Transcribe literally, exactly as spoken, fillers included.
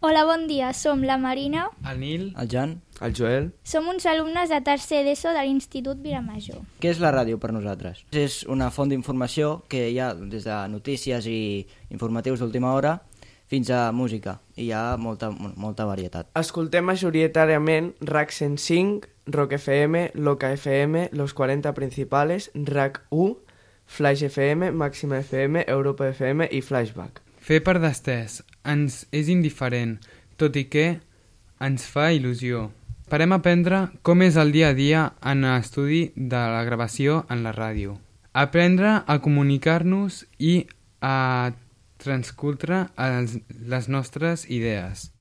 Hola, bon dia. Som la Marina. El Nil. El Jan. El Joel. Som uns alumnes de tercer d'ESO de l'Institut Vilamajor. Què és la ràdio per nosaltres? És una font d'informació que hi ha des de notícies i informatius d'última hora fins a música. I hi ha molta, molta varietat. Escoltem majoritàriament R A C cent cinc, Rock F M, Loca F M, Los quaranta Principales, R A C u, Flash F M, Màxima F M, Europa F M i Flashback. Fer per destès ens és indiferent, tot i que ens fa il·lusió. Parem a aprendre com és el dia a dia en l'estudi de la gravació en la ràdio. Aprendre a comunicar-nos i a transcultre les nostres idees.